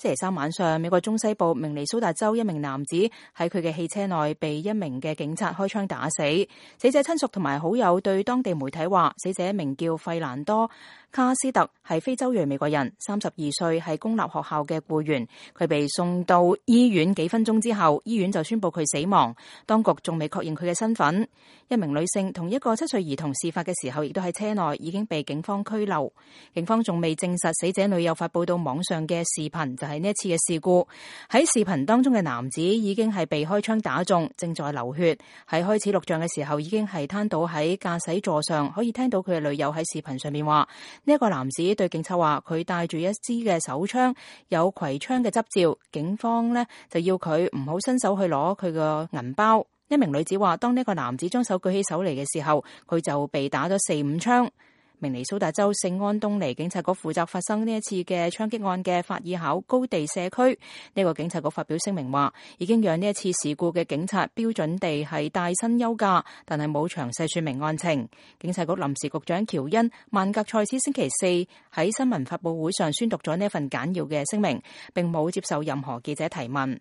星期三晚上，美國中西部明尼蘇達州一名男子喺佢嘅汽車內被一名嘅警察開槍打死。死者親屬同埋好友對當地媒體話，死者名叫費蘭多卡斯特，係非洲裔美國人，32歲，係公立學校嘅僱員。佢被送到醫院幾分鐘之後，醫院就宣布佢死亡。當局仲未確認佢嘅身份。一名女性同一個7歲兒童事發嘅時候，亦都喺車內，已經被警方拘留。警方仲未證實死者女友發佈到網上嘅視頻就係呢一次嘅事故。喺視頻當中嘅男子已經係被開槍打中，正在流血。喺開始錄像嘅時候，已經係攤倒喺駕駛座上，可以聽到佢嘅女友喺視頻上面話，呢一個男子對警察話佢帶住一支嘅手槍，有攜槍嘅執照。警方呢就要佢唔好伸手去攞佢個銀包。一名女子話，當呢個男子將手舉起手嚟嘅時候，佢就被打咗4-5槍。明尼蘇達州聖安東尼警察局負責發生呢一次嘅槍擊案嘅法爾考高地社區，呢個警察局發表聲明話，已經讓呢一次事故嘅警察標準地係帶薪休假，但係冇詳細說明案情。警察局臨時局長喬恩曼格塞斯星期四喺新聞發佈會上宣讀咗呢一份簡要嘅聲明，並冇接受任何記者提問。